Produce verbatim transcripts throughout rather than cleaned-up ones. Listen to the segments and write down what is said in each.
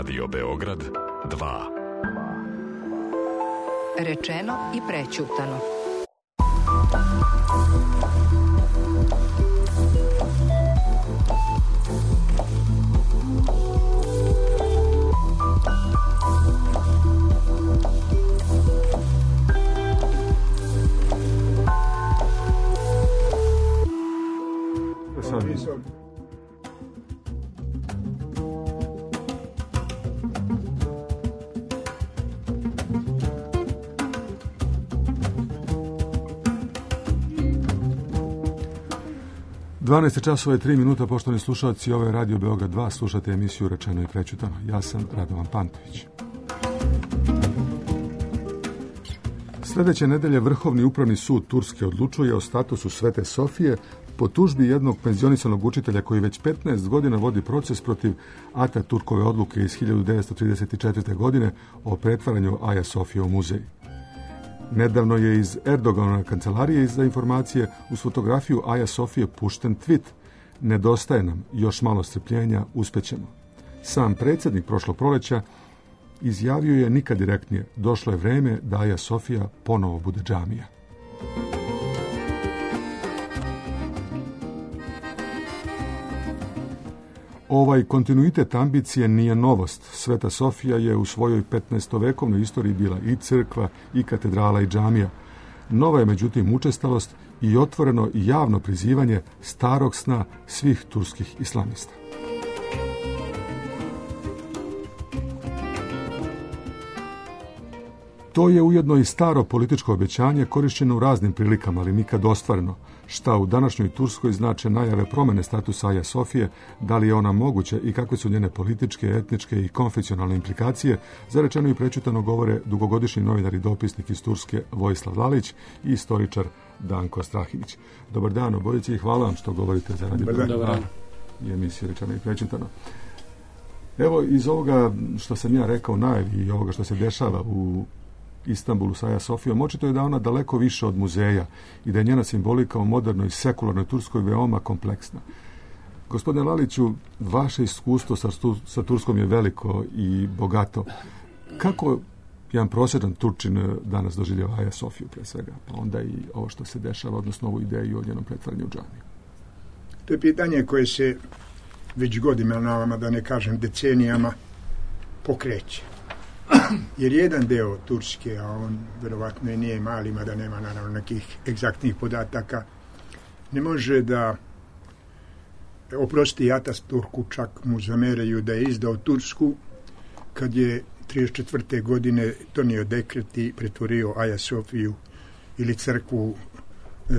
Radio Beograd dva. Rečeno i prećutano. dvanaest časova i tri minuta, poštovani slušalci, ovo je Radio Beograd dva, slušate emisiju Rečeno i prećutano. Ja sam Radovan Pantović. Sljedeće nedelje Vrhovni upravni sud Turske odlučuje o statusu Svete Sofije po tužbi jednog penzionisanog učitelja koji već petnaest godina vodi proces protiv Ataturkove odluke iz hiljadu devetsto trideset četvrte. godine o pretvaranju Aja Sofije u muzej. Nedavno je iz Erdoganove kancelarije za informacije uz fotografiju Aja Sofije pušten tweet: nedostaje nam još malo strpljenja, uspećemo. Sam predsjednik prošlog proleća izjavio je nikad direktnije: došlo je vreme da Aja Sofija ponovo bude džamija. Ovaj kontinuitet ambicije nije novost. Sveta Sofija je u svojoj petnaestovekovnoj istoriji bila i crkva, i katedrala, i džamija. Nova je međutim učestalost i otvoreno i javno prizivanje starog sna svih turskih islamista. To je ujedno i staro političko obećanje korišćeno u raznim prilikama, ali nikad ostvareno. Šta u današnjoj Turskoj znače najave promjene statusa Aja Sofije, da li je ona moguća i kakve su njene političke, etničke i konfesionalne implikacije, za Rečeno i prećutano govore dugogodišnji novinar i dopisnik iz Turske Vojislav Lalić i istoričar Danko Strahinić. Dobar dan obojici i hvala vam što govorite za Radio Beograd dva i emisiju Rečeno i prećutano. Evo, iz ovoga što sam ja rekao najavi i ovoga što se dešava u Istanbulu sa Aja Sofijom, očito je da ona daleko više od muzeja i da je njena simbolika u modernoj sekularnoj Turskoj veoma kompleksna. Gospodine Laliću, vaše iskustvo sa, sa Turskom je veliko i bogato. Kako jedan prosječan Turčin danas doživljava Aja Sofiju pre svega, pa onda i ovo što se dešava, odnosno ovu ideju o njenom pretvaranju u džamiju? To je pitanje koje se već godinama, da ne kažem decenijama, pokreće. Jer jedan deo Turske, a on verovatno i nije mali, mada nema naravno nekih egzaktnih podataka, ne može da oprosti Ataturku, čak mu zameraju da je izdao Tursku kad je trideset četvrte. godine donio dekret i pretvorio Aja Sofiju ili crkvu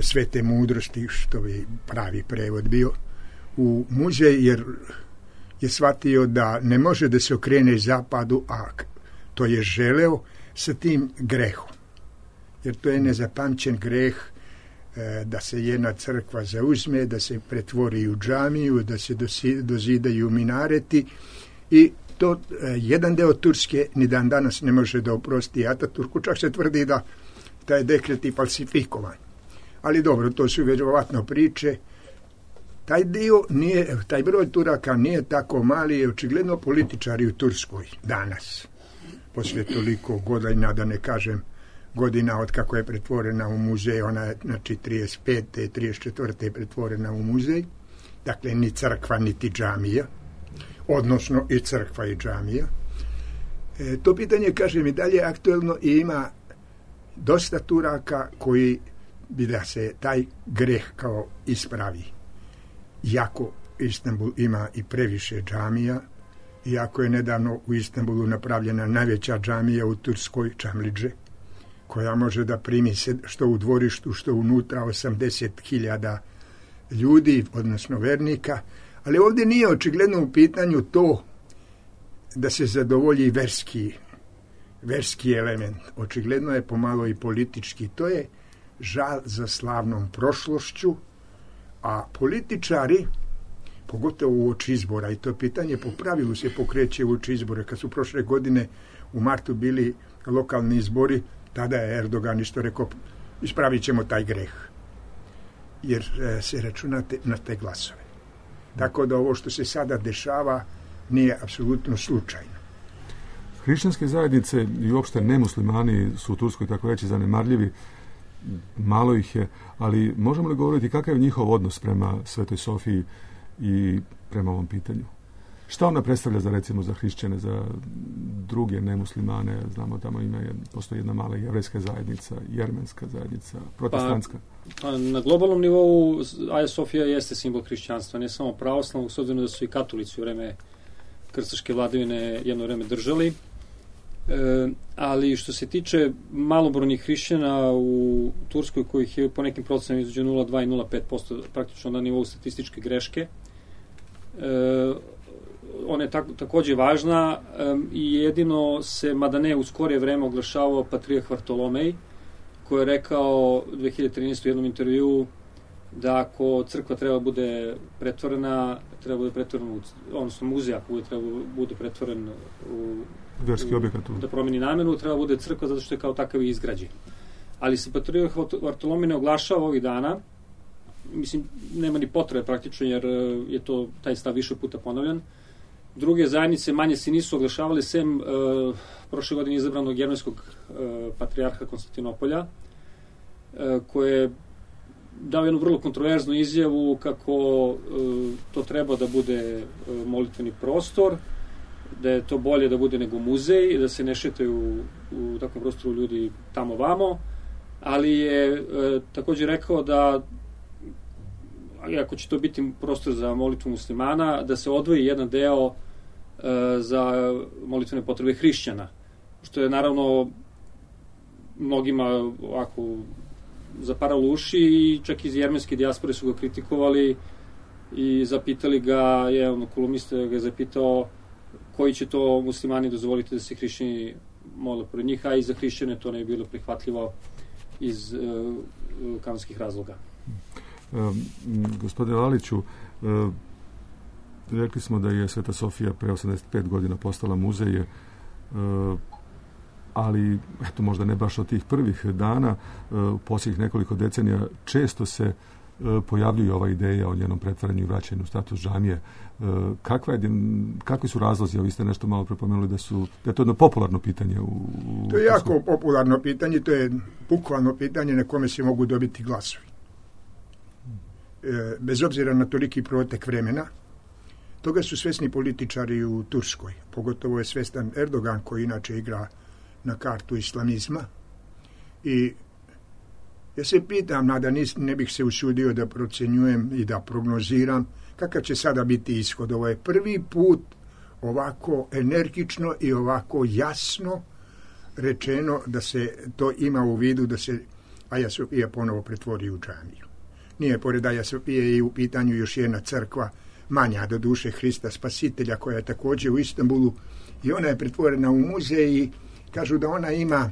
svete mudrosti, što bi pravi prevod bio, u muzej, jer je shvatio da ne može da se okrene zapadu, a to je želeo sa tim grehom. Jer to je nezapamćen greh e, da se jedna crkva zauzme, da se pretvori u džamiju, da se dosi, dozidaju minareti i to e, jedan deo Turske ni dan danas ne može da oprosti Ataturku, čak se tvrdi da taj dekret je falsifikovan. Ali dobro, to su vjerovatno priče. Taj dio nije, taj broj Turaka nije tako mali, je očigledno političari u Turskoj danas. Poslije toliko godina, da ne kažem godina od kako je pretvorena u muzej, ona je znači trideset pete. trideset četvrte. je pretvorena u muzej, dakle ni crkva niti džamija, odnosno i crkva i džamija. E, to pitanje, kažem, i dalje aktuelno i ima dosta Turaka koji bi da se taj greh kao ispravi. Iako Istanbul ima i previše džamija, iako je nedavno u Istanbulu napravljena najveća džamija u Turskoj, Čamliđe, koja može da primi se, što u dvorištu, što unutra, osamdeset hiljada ljudi, odnosno vernika, ali ovdje nije očigledno u pitanju to da se zadovolji verski, verski element. Očigledno je pomalo i politički. To je žal za slavnom prošlošću, a političari, pogotovo u oči izbora, i to pitanje po pravilu se pokreće u oči izbora. Kad su prošle godine u martu bili lokalni izbori, tada je Erdogan isto rekao: ispravit ćemo taj greh, jer e, se računate na te glasove. Tako da ovo što se sada dešava nije apsolutno slučajno. Hrišćanske zajednice i uopšte nemuslimani su u Turskoj tako reći zanemarljivi, malo ih je, ali možemo li govoriti kakav je njihov odnos prema Svetoj Sofiji i prema ovom pitanju? Šta ona predstavlja za, recimo, za hrišćane, za druge nemuslimane? Znamo, tamo ima, postoji jedna mala jevrejska zajednica, jermenska zajednica, protestantska. Pa, na globalnom nivou Aja Sofija jeste simbol hrišćanstva, ne samo pravoslavnog, s obzirom da su i katolici u vreme krstaške vladavine jedno vreme držali. E, ali što se tiče malobrojnih hrišćana u Turskoj, kojih je po nekim procenama između nula zarez dva i nula zarez pet posto praktično na nivou statističke greške, e, ona je tak, takođe važna um, i jedino se, mada ne u skorije vreme, oglašavao Patrijah Vartolomej, koji je rekao dve hiljade trinaeste u jednom intervjuu da ako crkva treba bude pretvorena, treba bude pretvorena u, odnosno muzej ako bude, treba bude pretvoren u, verski objekat, da promeni namenu, treba bude crkva zato što je kao takav i izgrađen. Ali se Patrijah Vartolomej ne oglašava ovih dana, mislim, nema ni potrebe praktično, jer je to taj stav više puta ponavljan. Druge zajednice manje se nisu oglašavali, sem uh, prošle godine izabranog jermenskog uh, patrijarha Konstantinopolja, uh, koje je dao jednu vrlo kontroverznu izjavu kako uh, to treba da bude uh, molitveni prostor, da je to bolje da bude nego muzej, da se ne šetaju u, u takvom prostoru ljudi tamo vamo, ali je uh, takođe rekao da ako će to biti prostor za molitvu muslimana, da se odvoji jedan deo za molitvene potrebe hrišćana, što je naravno mnogima ovako zaparalo uši i čak iz jermenske dijaspore su ga kritikovali i zapitali ga, je ono kolumnista ga je zapitao koji će to muslimani dozvoliti da se hrišćani mole pored njih, a i za hrišćane to ne je bilo prihvatljivo iz uh, kanonskih razloga. Um, gospodine Laliću, uh, rekli smo da je Sveta Sofija pre osamdeset pet godina postala muzej, ali eto, možda ne baš od tih prvih dana, u posljednjih nekoliko decenija često se pojavljuje ova ideja o njenom pretvaranju i vraćanju u status džamije. Kakva je, kakvi su razlozi? Vi ste nešto malo prepomenuli da su da je to jedno popularno pitanje. U, u to je jako popularno pitanje, to je bukvalno pitanje na kome se mogu dobiti glasovi. E, bez obzira na toliki protek vremena, toga su svesni političari u Turskoj. Pogotovo je svestan Erdogan, koji inače igra na kartu islamizma. I ja se pitam, nada nis, ne bih se usudio da procenjujem i da prognoziram kakav će sada biti ishod. Ovo je prvi put ovako energično i ovako jasno rečeno da se to ima u vidu da se Aja Sofija ponovo pretvori u džamiju. Nije pored Aja Sofije i u pitanju još jedna crkva, manja do duše Hrista Spasitelja, koja je također u Istanbulu, i ona je pretvorena u muzej i kažu da ona ima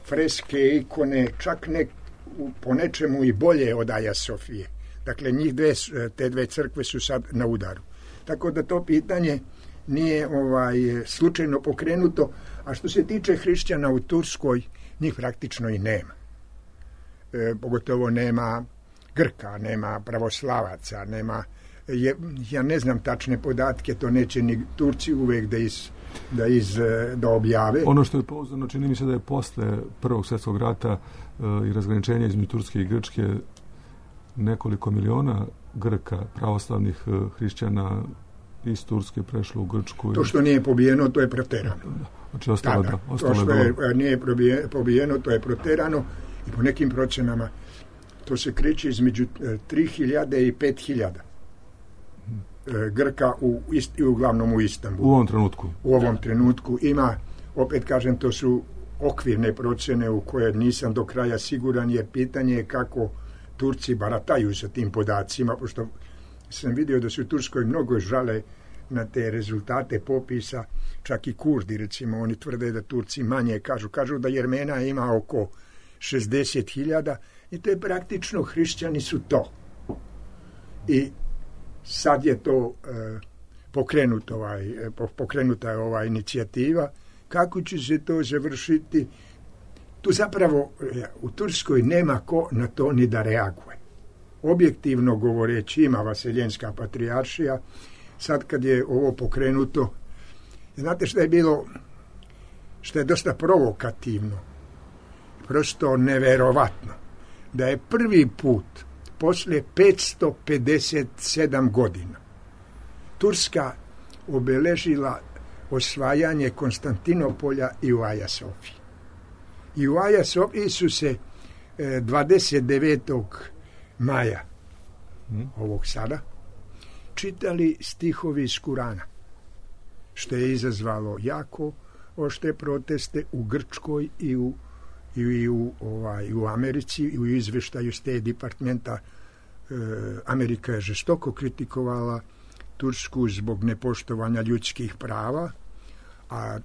freske, ikone, čak ne, po nečemu i bolje od Aja Sofije. Dakle, njih dve, te dve crkve su sad na udaru. Tako da to pitanje nije ovaj slučajno pokrenuto, a što se tiče hrišćana u Turskoj, njih praktično i nema. E, pogotovo nema Grka, nema pravoslavaca, nema, je, ja ne znam tačne podatke, to neće ni Turci uvek da iz, da iz, da objave. Ono što je pouzdano, čini mi se da je posle Prvog svjetskog rata e, i razgraničenja između Turske i Grčke nekoliko miliona Grka, pravoslavnih e, hrišćana iz Turske prešlo u Grčku. To što nije pobijeno, to je proterano. Znači, ostalo, da, da. Da, ostalo to što je, je, nije pobijeno, to je proterano i po nekim procenama to se kreće između tri hiljade i pet hiljada Grka u, ist, uglavnom u Istanbulu. U ovom trenutku. U ovom trenutku ima, opet kažem, to su okvirne procene u koje nisam do kraja siguran, jer pitanje je kako Turci barataju sa tim podacima, pošto sam vidio da su u Turskoj mnogo žale na te rezultate popisa, čak i Kurdi, recimo, oni tvrde da Turci manje kažu. Kažu da Jermena ima oko šezdeset hiljada i to je praktično, hrišćani su to. I sad je to e, pokrenut ovaj, pokrenuta je ova inicijativa. Kako će se to završiti? Tu zapravo u Turskoj nema ko na to ni da reaguje. Objektivno govoreći, ima Vaseljenska patrijaršija. Sad kad je ovo pokrenuto, znate šta je bilo što je dosta provokativno, prosto neverovatno, da je prvi put posle petsto pedeset sedam godina Turska obeležila osvajanje Konstantinopolja i u Aja Sofiji. I u Aja Sofiji su se dvadeset devetog maja ovog sada čitali stihovi iz Kurana, što je izazvalo jako oštre proteste u Grčkoj i u, i u, ovaj, u Americi, i u izveštaju State Departmenta. e, Amerika je žestoko kritikovala Tursku zbog nepoštovanja ljudskih prava, a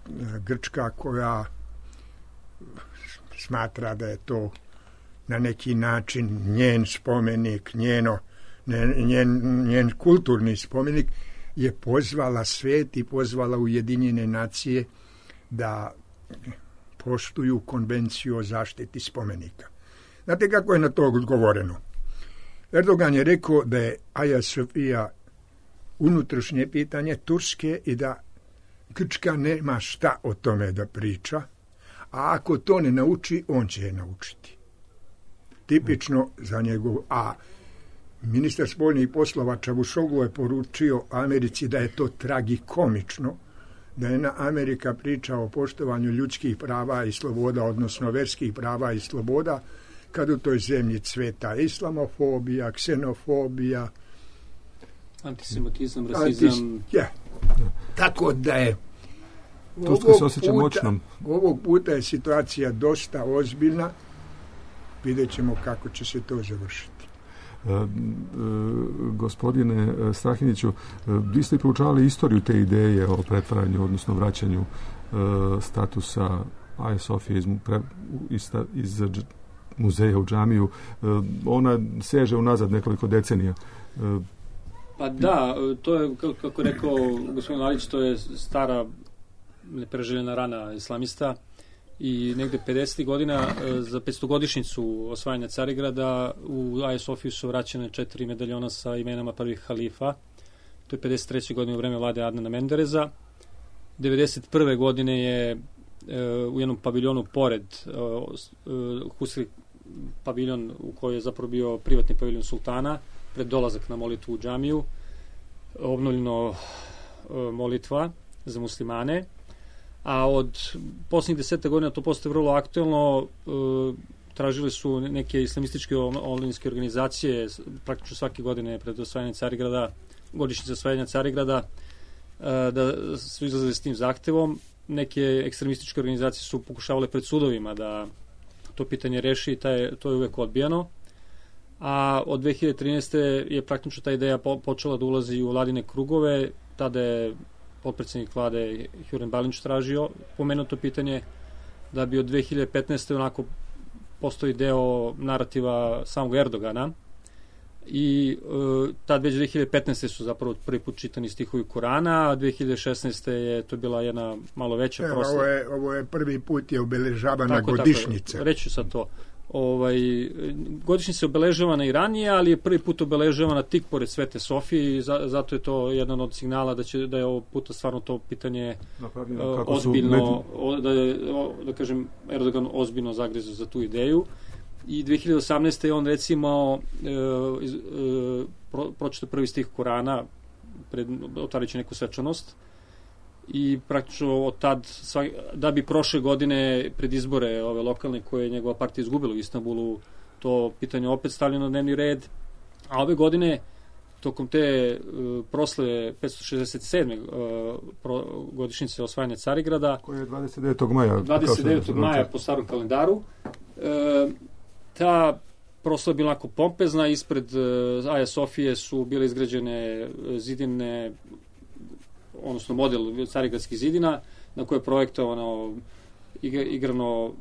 Grčka, koja smatra da je to na neki način njen spomenik, njeno, njen, njen kulturni spomenik, je pozvala svet i pozvala Ujedinjene nacije da poštuju konvenciju o zaštiti spomenika. Znate kako je na to odgovoreno? Erdogan je rekao da je Aja Sofija unutrašnje pitanje Turske i da Grčka nema šta o tome da priča, a ako to ne nauči, on će je naučiti. Tipično za njegov... A ministar spoljnih poslova Čavusoglu je poručio Americi da je to tragikomično, da je Amerika priča o poštovanju ljudskih prava i sloboda, odnosno verskih prava i sloboda, kad u toj zemlji cveta islamofobija, ksenofobija, antisemitizam, rasizam. Antis, ja. Tako da je Turska se osjeća moćnom. Ovog puta je situacija dosta ozbiljna. Vidjet ćemo kako će se to završiti. E, e, gospodine Strahiniću, vi ste proučavali istoriju te ideje o pretvaranju, odnosno vraćanju e, statusa Aje Sofije iz, iz, iz muzeja u džamiju. E, ona seže unazad nekoliko decenija. E, pa da, to je, kako je rekao gospodin Lalić, to je stara nepreželjena rana islamista. I negde pedesetih godina za petstogodišnjicu osvajanja Carigrada u Aja Sofiju su vraćene četiri medaljona sa imenama prvih halifa. To je pedeset treće godine u vreme vlade Adnana Mendereza. devedeset prve godine je e, u jednom paviljonu pored e, Husri paviljon u kojoj je zapravo bio privatni paviljon sultana pred dolazak na molitvu u džamiju obnovljeno e, molitva za muslimane. A od posljednjih deseta godina to postaje vrlo aktuelno. E, tražili su neke islamističke online-ske organizacije praktično svake godine pred osvajanje Carigrada, godišnjice osvajanja Carigrada, e, da su izlazili s tim zahtevom. Neke ekstremističke organizacije su pokušavale pred sudovima da to pitanje reši i taj, to je uvek odbijano. A od dve hiljade trinaeste. je praktično ta ideja po, počela da ulazi u vladine krugove. Tada je potpredsjednik vlade Hjuren Balinč tražio pomenuto pitanje da bi od dve hiljade petnaeste. onako postoji deo narativa samog Erdogana i e, tad već dve hiljade petnaeste. su zapravo prvi put čitani stihovi Kurana, a dve hiljade šesnaeste. je to bila jedna malo veća e, proslava. Ovo je, ovo je prvi put je obeležavana tako, godišnjica. Tako, reću sad to. Ovaj, godišnjica je obeležavana i ranije, ali je prvi put obeležavana tik pored Svete Sofije i za, zato je to jedan od signala da će da je ovog puta stvarno to pitanje uh, ozbiljno, o, da, je, o, da kažem, Erdogan ozbiljno zagrizao za tu ideju. I dve hiljade osamnaeste. je on recimo uh, uh, pro, pročitao prvi stih Kurana, pred, otvarajući neku svečanost. I praktično od tad, da bi prošle godine pred izbore ove lokalne koje je njegova partija izgubila u Istanbulu, to pitanje opet stavljeno na dnevni red. A ove godine, tokom te uh, prosle petsto šezdeset sedme. Uh, pro, godišnjice osvajanja Carigrada, koja je dvadeset devetog maja. dvadeset devetog maja po starom kalendaru. Uh, ta proslava je bila onako pompezna. Ispred uh, Aja Sofije su bile izgrađene zidine, odnosno model carigradskih zidina, na koje je projektovano igrano,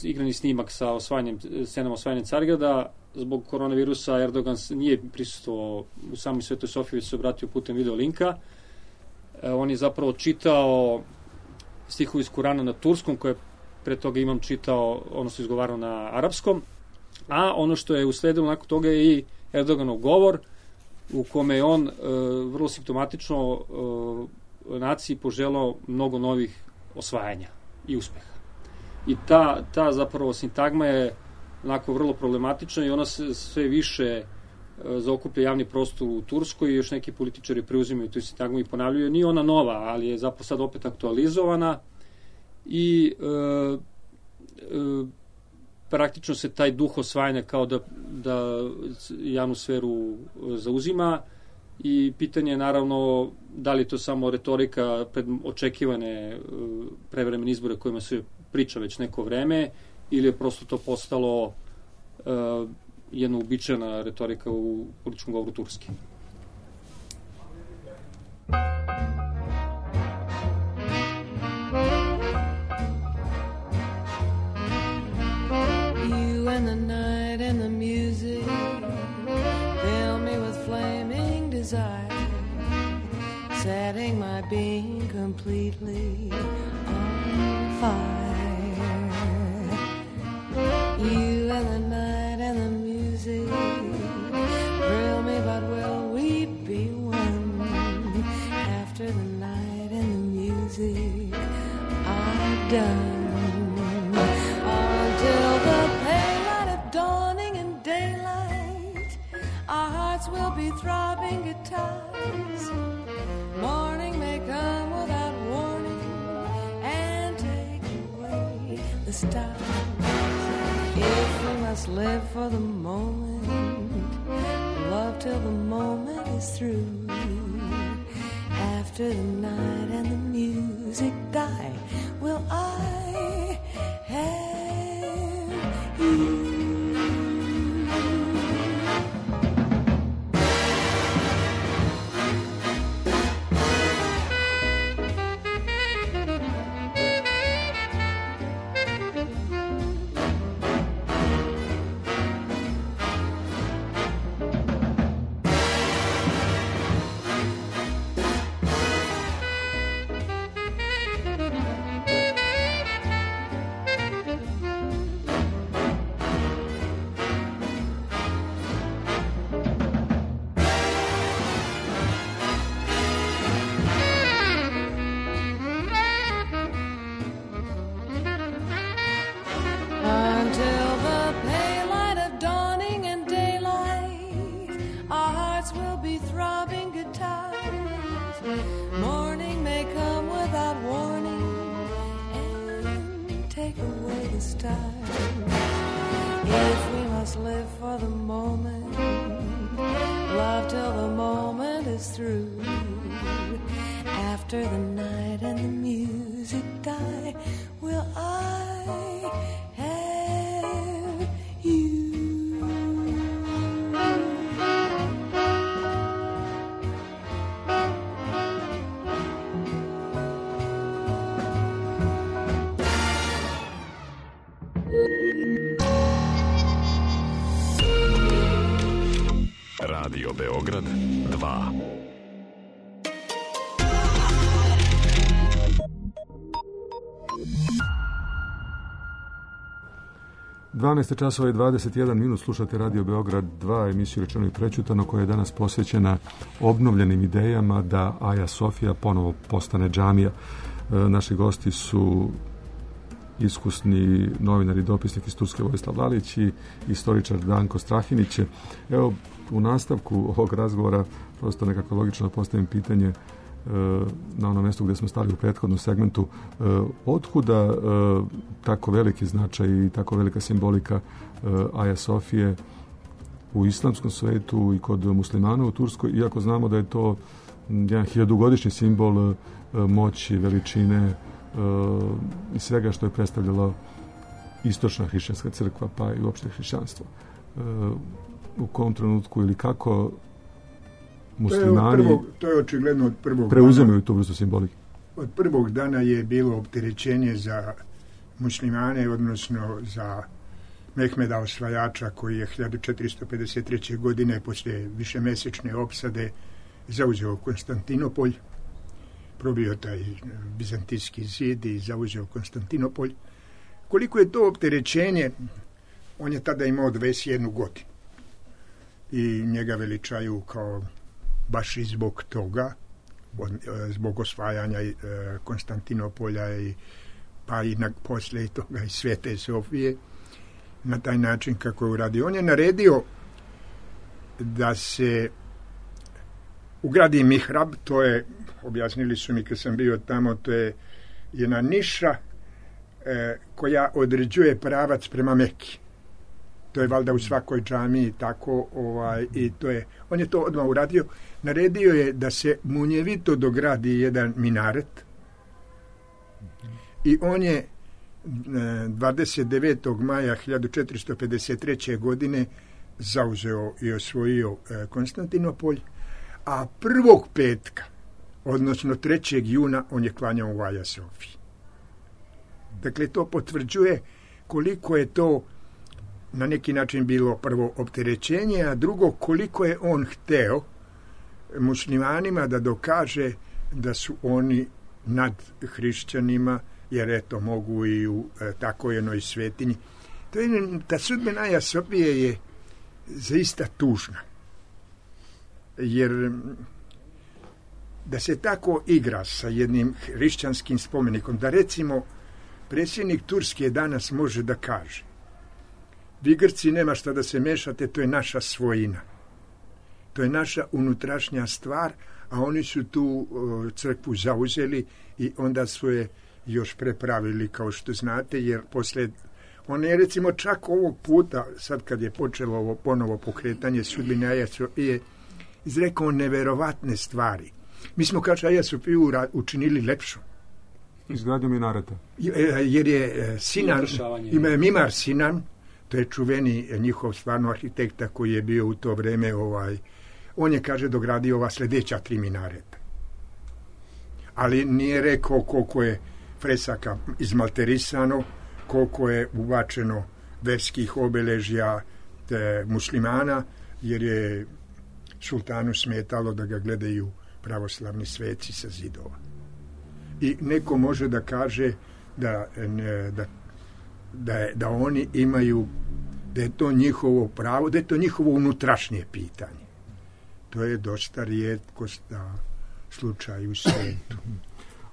igrani snimak sa osvajanjem, scenama osvajanja Carigrada. Zbog koronavirusa Erdogan nije prisustvovao u samoj Svetoj Sofiji, već se obratio putem video linka. E, on je zapravo čitao stihovi iz Kurana na turskom, koje pre toga imam čitao, odnosno izgovarao na arapskom. A ono što je usledilo nakon toga je i Erdoganov govor, u kome je on e, vrlo simptomatično e, naciji poželao mnogo novih osvajanja. i uspeha. I ta, ta zapravo sintagma je onako vrlo problematična i ona se sve više zaokuplja javni prostor u Turskoj i još neki političari preuzimaju tu sintagmu i ponavljaju. Nije ona nova, ali je zapravo sad opet aktualizovana i e, e, praktično se taj duh osvajanja kao da, da javnu sferu zauzima i pitanje je naravno da li je to samo retorika pred očekivane prevremene izbore kojima se priča već neko vreme ili je prosto to postalo uh, jedna uobičajena retorika u političkom govoru Turske. You and the night and the music fill me with flaming desire, setting my being completely on fire. You and the night and the music thrill me, but will we be one after the night and the music are done? Until the pale light of dawning and daylight, our hearts will be throbbing guitars. Morning may come without warning and take away the stars. If we must live for the moment, love till the moment is through. After the night and the music die, will I have you? Radio Beograd dva. dvanaest časova i dvadeset jedan minut, slušate Radio Beograd dva, emisiju Rečeno i prećutano, koja je danas posvećena obnovljenim idejama da Aja Sofija ponovo postane džamija. E, naši gosti su iskusni novinar i dopisnik iz Turske Vojislav Lalić i istoričar Danko Strahinić. Evo, u nastavku ovog razgovora prosto nekako logično postavim pitanje e, na onom mjestu gdje smo stali u prethodnom segmentu. E, otkuda e, tako veliki značaj i tako velika simbolika e, Aja Sofije u islamskom svetu i kod muslimana u Turskoj, iako znamo da je to jedan hiljadugodišnji simbol e, moći, veličine e, i svega što je predstavljalo istočna hrišćanska crkva, pa i uopšte hrišćanstvo. E, u kom trenutku ili kako muslimani to je, prvog, to je očigledno od prvog preuzimaju tu vrstu simbolike? Od prvog dana je bilo opterećenje za muslimane, odnosno za Mehmeda osvajača, koji je hiljadu četiristo pedeset treće. godine poslije višemesečne opsade zauzeo Konstantinopolj, probio taj bizantijski zid i zauzeo Konstantinopolj. Koliko je to opterećenje, on je tada imao dvadeset jednu godinu. I njega veličaju kao baš i zbog toga, zbog osvajanja Konstantinopolja i pa i na, posle toga i Svete Sofije, na taj način kako je uradio. On je naredio da se ugradi mihrab, to je, objasnili su mi kad sam bio tamo, to je jedna niša e, koja određuje pravac prema Meki. To je valjda u svakoj džamiji tako, ovaj, i to je, on je to odmah uradio. Naredio je da se munjevito dogradi jedan minaret i on je dvadeset devetog maja hiljadu četiristo pedeset treće. godine zauzeo i osvojio Konstantinopolj, a prvog petka, odnosno trećeg juna, on je klanjao u Aja Sofiji. Dakle, to potvrđuje koliko je to na neki način bilo prvo opterećenje, a drugo koliko je on hteo muslimanima da dokaže da su oni nad hrišćanima, jer eto mogu i u e, tako jednoj svetinji. To je, ta sudbina Aja Sofije je zaista tužna. Jer da se tako igra sa jednim hrišćanskim spomenikom, da recimo predsjednik Turske danas može da kaže: vi Grci nema šta da se mešate, to je naša svojina. To je naša unutrašnja stvar, a oni su tu o, crkvu zauzeli i onda su je još prepravili, kao što znate, jer posle, on je recimo čak ovog puta, sad kad je počelo ovo ponovo pokretanje sudbine Aja Sofije, izrekao neverovatne stvari. Mi smo, kaže, Aja Sofiju učinili lepšu. Izgradnju minareta. Jer je Sinan, ima je Mimar Sinan, to je čuveni njihov stvarno arhitekta koji je bio u to vreme, ovaj, on je, kaže, dogradio ova sljedeća tri minareta. Ali nije rekao koliko je fresaka izmalterisano, koliko je ubačeno verskih obeležja te muslimana, jer je sultanu smetalo da ga gledaju pravoslavni sveci sa zidova. I neko može da kaže da, da, da, je, da oni imaju, da je to njihovo pravo, da je to njihovo unutrašnje pitanje. To je dosta rijetkost na slučaju u svijetu.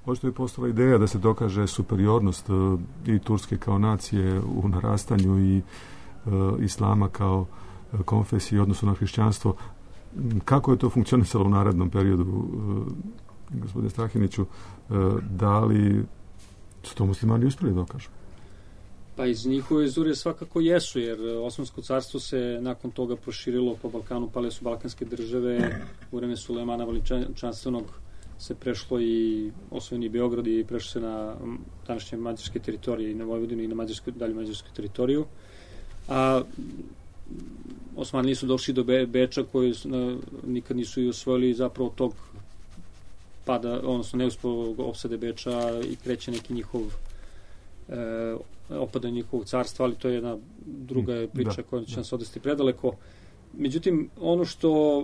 Očito je postala ideja da se dokaže superiornost uh, i Turske kao nacije u narastanju i uh, Islama kao uh, konfesije odnosno na hrišćanstvo. Kako je to funkcionisalo u narednom periodu, uh, gospodine Strahiniću, uh, da li su to muslimani uspjeli dokažu? Pa iz njihove izure svakako jesu, jer Osmansko carstvo se nakon toga proširilo po Balkanu, pale su balkanske države, u vreme Sulejmana Veličanstvenog se prešlo i osvojeni Beograd i prešlo se na današnje mađarske teritorije i na Vojvodinu i na mađarsku, dalje mađarsku teritoriju. A Osmani nisu došli do Be, Beča koji su, na, nikad nisu i osvojili zapravo tog pada, odnosno neuspelog opsade Beča i kreće neki njihov e, opada njihovog carstva, ali to je jedna druga priča da, koja će nas odvesti predaleko. Međutim, ono što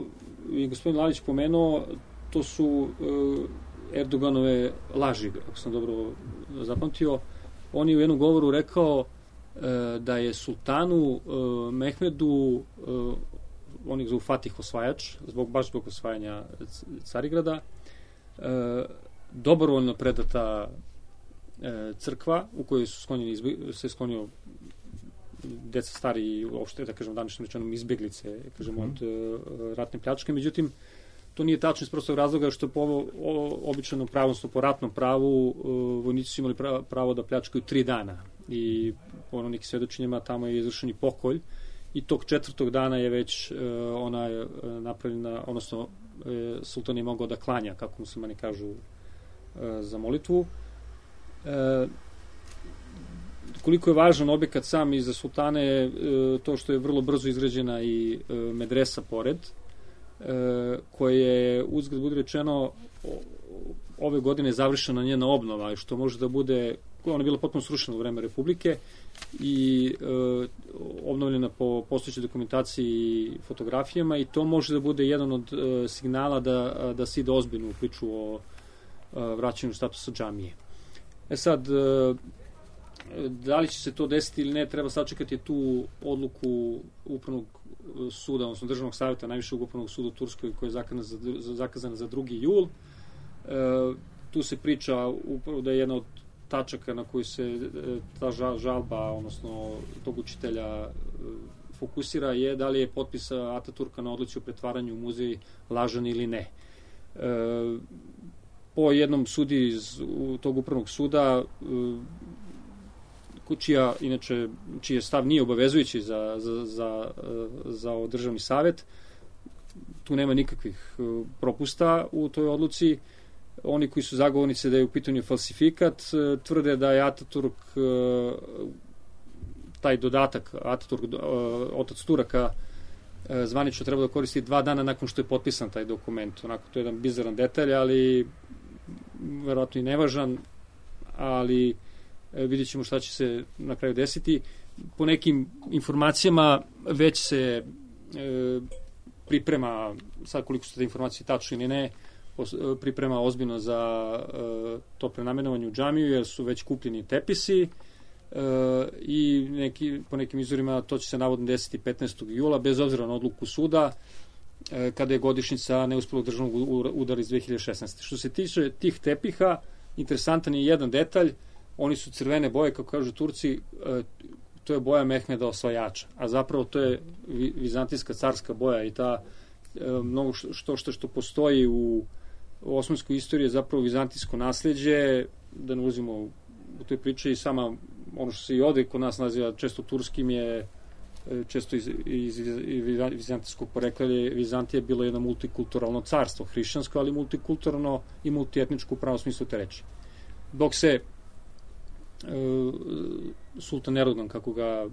je gospodin Lalić pomenuo, to su uh, Erdoganove laži, ako sam dobro zapamtio. On je u jednom govoru rekao uh, da je sultanu uh, Mehmedu, uh, on ih zovu Fatih osvajač, zbog, baš zbog osvajanja Carigrada, uh, dobrovoljno predata uh, crkva u kojoj su sklonjeni, izbje, se sklonio deca stari i uopšte, da kažem, današnjim rečenom izbjeglice, kažem, od uh, ratne pljačke. Međutim, to nije tačno iz prostog razloga što po ovo, o, običajnom pravu, odnosno po ratnom pravu, uh, vojnici su imali pravo, pravo da pljačkaju tri dana. I po ono nekim svedočenjima tamo je izvršen i pokolj. I tog četvrtog dana je već uh, ona je uh, napravljena, odnosno uh, sultan je mogao da klanja, kako muslimani kažu, uh, za molitvu. Uh, koliko je važan objekat sam i za sultane, uh, to što je vrlo brzo izgrađena i uh, medresa pored, E, koje je, uzgled budi rečeno, ove godine završena njena obnova, što može da bude, ona je bila potpuno srušena u vreme Republike i e, obnovljena po postojećoj dokumentaciji i fotografijama, i to može da bude jedan od e, signala da, da se ide ozbiljno u priču o e, vraćanju statusa džamije. E sad, e, da li će se to desiti ili ne, treba sačekati tu odluku upravnog suda, odnosno državnog savjeta najvišeg upravnog suda u Turskoj, koja je zakazana za, zakazana za drugi jul. E, tu se priča upravo da je jedna od tačaka na koju se ta žalba, odnosno tog učitelja fokusira je da li je potpis Ataturka na odluci o pretvaranju u muzej lažan ili ne. E, po jednom sudi iz tog upravnog suda, čija, inače, čiji stav nije obavezujući za, za, za, za državni savet, tu nema nikakvih propusta u toj odluci. Oni koji su zagovornici da je u pitanju falsifikat, tvrde da je Ataturk, taj dodatak Ataturk, otac Turaka, zvanično treba da koristi dva dana nakon što je potpisan taj dokument. Onako, to je jedan bizaran detalj, ali verovatno i nevažan, ali vidjet ćemo šta će se na kraju desiti. Po nekim informacijama već se e, priprema, sad koliko su te informacije tačne ili ne, priprema ozbiljno za e, to prenamenovanje u džamiju, jer su već kupljeni tepisi e, i neki, po nekim izvorima to će se navodno desiti petnaestog jula, bez obzira na odluku suda, e, kada je godišnjica neuspelog državnog udara iz dve hiljade šesnaeste. Što se tiče tih tepiha, interesantan je jedan detalj, oni su crvene boje, kako kažu Turci, e, to je boja Mehmeda osvajača, a zapravo to je vizantijska carska boja i ta e, mnogo što, što što postoji u osmanskoj istoriji je zapravo vizantijsko nasleđe, da ne uzimo u toj priči i sama ono što se i ovde kod nas naziva često turskim je često iz, iz, iz vizantijskog porekla je Vizantija bilo jedno multikulturalno carstvo, hrišćansko, ali multikulturalno i multietničko u pravom smislu te reči. Dok se e, sultan Erdogan, kako ga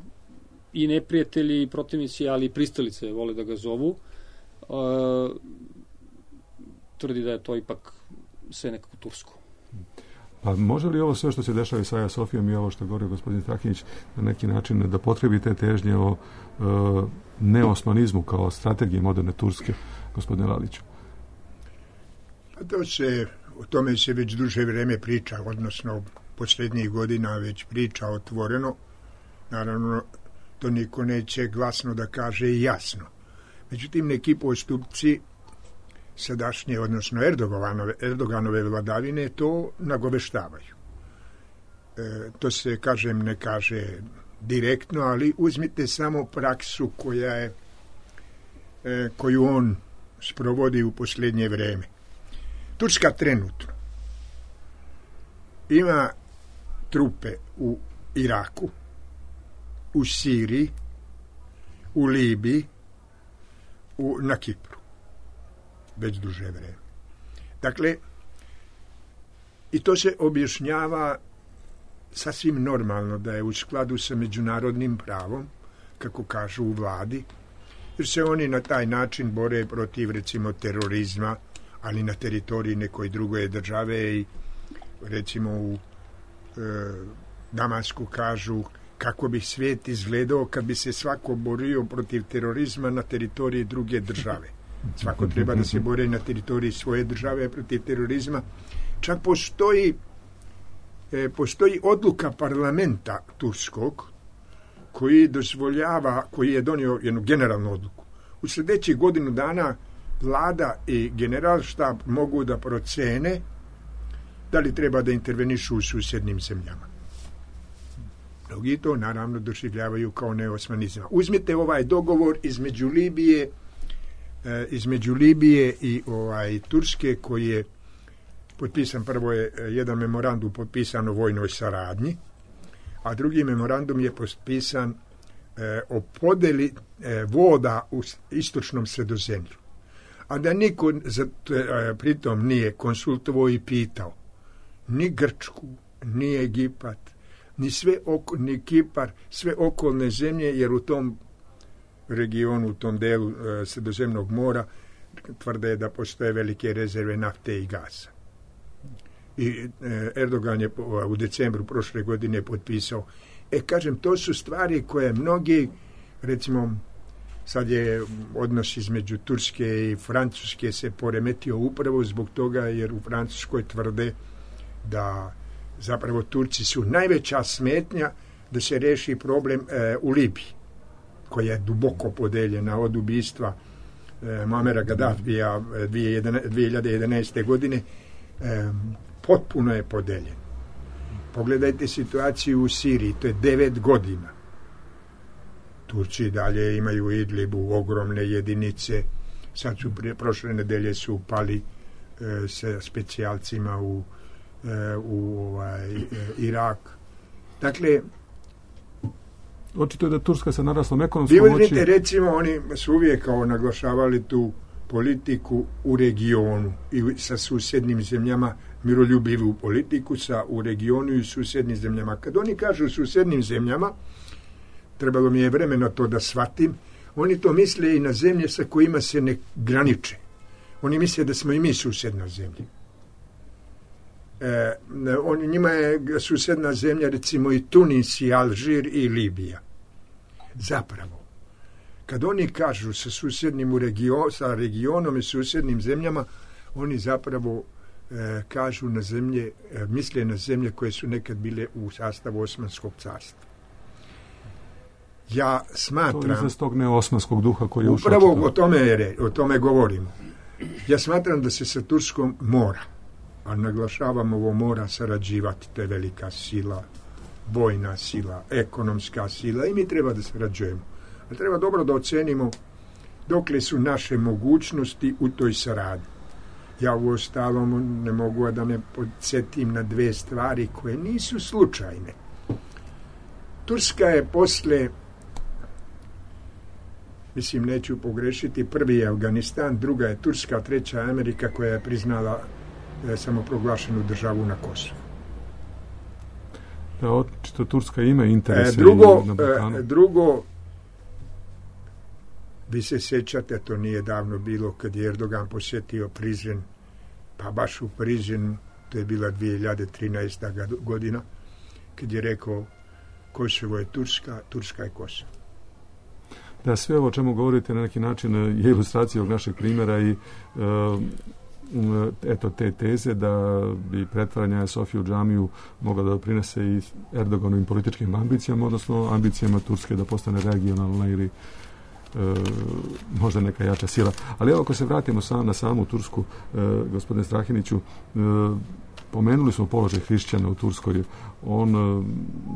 i neprijatelji i protivnici, ali i pristalice vole da ga zovu, e, tvrdi da je to ipak sve nekako tursko. Pa može li ovo sve što se dešava sa Aja Sofijom i ovo što govori gospodin Strakinić na neki način da potrebi te težnje o e, neosmanizmu kao strategiji moderne Turske, gospodine Laliću? Pa to se, o tome se već duže vreme priča, odnosno posljednjih godina već priča otvoreno. Naravno, to niko neće glasno da kaže i jasno. Međutim, neki postupci sadašnje, odnosno Erdoganove, Erdoganove vladavine to nagoveštavaju. E, to se, kažem, ne kaže direktno, ali uzmite samo praksu koja je, e, koju on sprovodi u posljednje vreme. Turska trenutno ima trupe u Iraku, u Siriji, u Libiji, u, na Kipru. Već duže vreme. Dakle, i to se objašnjava sasvim normalno da je u skladu sa međunarodnim pravom, kako kažu u vladi, jer se oni na taj način bore protiv, recimo, terorizma, ali na teritoriji nekoj druge države i, recimo, u e, Damasku kažu kako bi svijet izgledao kad bi se svako borio protiv terorizma na teritoriji druge države. Svako treba da se bori na teritoriji svoje države protiv terorizma. Čak postoji, e, postoji odluka parlamenta turskog koji dozvoljava, koji je donio jednu generalnu odluku. U sljedećih godinu dana vlada i generalštab mogu da procene da li treba da intervenišu u susjednim zemljama. Mnogi to naravno doživljavaju kao neosmanizam. Uzmite ovaj dogovor između Libije između Libije i ovaj Turske koji je potpisan, prvo je jedan memorandum potpisan o vojnoj saradnji, a drugi memorandum je potpisan e, o podeli e, voda u istočnom Sredozemlju. A da niko za, e, pritom nije konsultovao i pitao ni Grčku, ni Egipat, ni sve oko, ni Kipar, sve okolne zemlje, jer u tom regionu, u tom delu e, Sredozemnog mora tvrde da postoje velike rezerve nafte i gasa. I e, Erdogan je u decembru prošle godine potpisao. E, kažem, to su stvari koje mnogi, recimo, sad je odnos između Turske i Francuske se poremetio upravo zbog toga jer u Francuskoj tvrde da zapravo Turci su najveća smetnja da se reši problem e, u Libiji, koja je duboko podeljena od ubistva e, Muamera Gaddafija dvije hiljade jedanaeste. godine, e, potpuno je podeljen. Pogledajte situaciju u Siriji, to je devet godina. Turci dalje imaju u Idlibu ogromne jedinice, sad su prije, prošle nedelje su upali e, sa specijalcima u, e, u ovaj, e, Irak. Dakle, očito je da Turska sa naraslom ekonomskom moći... moći... Vidite, recimo, oni su uvijek kao naglašavali tu politiku u regionu i sa susjednim zemljama, miroljubivu politiku sa u regionu i susjednim zemljama. Kad oni kažu susjednim zemljama, trebalo mi je vremena to da shvatim, oni to misle i na zemlje sa kojima se ne graniče. Oni misle da smo i mi susjedna zemlja. E, on, njima je susjedna zemlja recimo i Tunis i Alžir i Libija. Zapravo, kad oni kažu sa susjednim u region, sa regionom i susjednim zemljama, oni zapravo e, kažu na zemlje, e, misle na zemlje koje su nekad bile u sastavu Osmanskog carstva. Ja smatram... To je tog neosmanskog duha koji je ušao. Upravo o tome, je, o tome govorimo. Ja smatram da se sa Turskom mora, a naglašavam ovo, mora sarađivati, to je velika sila, vojna sila, ekonomska sila i mi treba da sarađujemo. Ali treba dobro da ocenimo dokle su naše mogućnosti u toj saradnji. Ja u ostalom ne mogu da ne podsjetim na dve stvari koje nisu slučajne. Turska je posle, mislim neću pogrešiti, prvi je Afganistan, druga je Turska, treća je Amerika koja je priznala e, samoproglašenu državu na Kosovu. Da, očito Turska ima interese e, drugo, na Balkanu. E, drugo, vi se sjećate, to nije davno bilo kad je Erdogan posjetio Prizren, pa baš u Prizrenu, to je bila dvije hiljade trinaesta. godina, kad je rekao Kosovo je Turska, Turska je Kosovo. Da, sve ovo o čemu govorite na neki način je ilustracija ovog našeg primjera i uh, eto te teze da bi pretvaranje Sofije u džamiju mogla da doprinese i Erdoganovim političkim ambicijama, odnosno ambicijama Turske da postane regionalna ili e, možda neka jača sila. Ali evo, ako se vratimo sam, na samu Tursku, e, gospodine Strahiniću, e, pomenuli smo položaj hrišćana u Turskoj. On e,